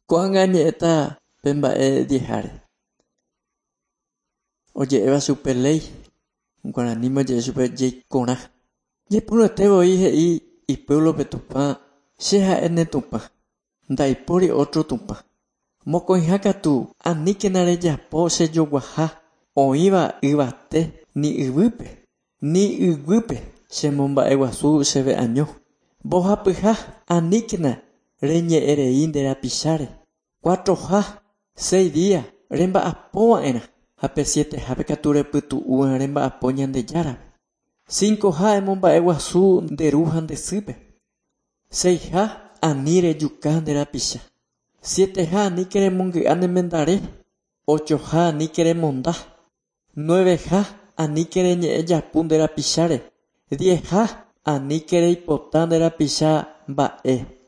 Ko'ág̃a añe'ẽta pe mba'e diezháre. Oje'éva chupe léi, guaraníme oje'e chupe jeikorã. Ñepyrũete voi he'i ipuéblope Tupã, Che ha'e ne Tupã, ndaipóri ótro Tupã. Mokõiha katu, aníkena rejapo che joguaha oĩva yvate ni yvýpe, ni yguýpe chemomba'eguasu chéve año. Mbohapyha, aníkena reñe'ẽrei nde rapicháre. Cuatroha, seis día remba'apova'erã ha pe sietehápe katu repytu'úva remba'apo Ñandejárape. Cincoha emomba'eguasu nde ru ha nde sýpe. Seiha ani rejuka nde rapicha. Sieteha aníke remongy'a ne mendare. Ochoha aníke remonda. Nueveha aníke reñe'ẽ japu nde rapicháre. Diezha aníke reipota nde rapicha mba'e.